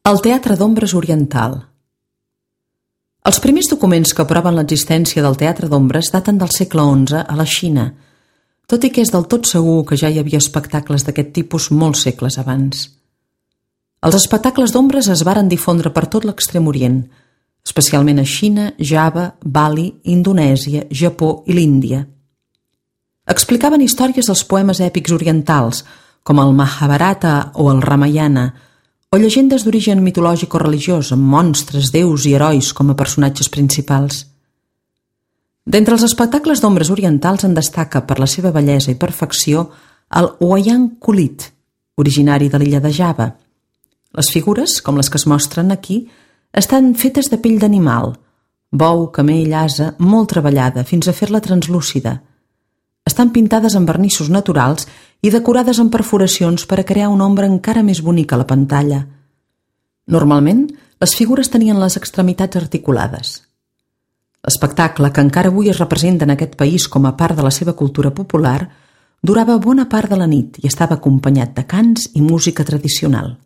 El teatre d'ombres oriental. Els primers documents que proven l'existència del teatre d'ombres daten del segle XI a la Xina, tot i que és del tot segur que ja hi havia espectacles d'aquest tipus molts segles abans. Els espectacles d'ombres es varen difondre per tot l'Extrem Orient, especialment a Xina, Java, Bali, Indonèsia, Japó i l'Índia. Explicaven històries dels poemes èpics orientals, com el Mahabharata o el Ramayana, o llegendes d'origen mitològic o religiós, amb monstres, déus i herois com a personatges principals. D'entre els espectacles d'ombres orientals en destaca per la seva bellesa i perfecció el Wayang Kulit, originari de l'illa de Java. Les figures, com les que es mostren aquí, estan fetes de pell d'animal, bou, camell, ase, molt treballada, fins a fer-la translúcida. Estan pintades amb vernissos naturals i decorades amb perforacions per a crear una ombra encara més bonica a la pantalla. Normalment, les figures tenien les extremitats articulades. L'espectacle, que encara avui es representa en aquest país com a part de la seva cultura popular, durava bona part de la nit i estava acompanyat de cants i música tradicional.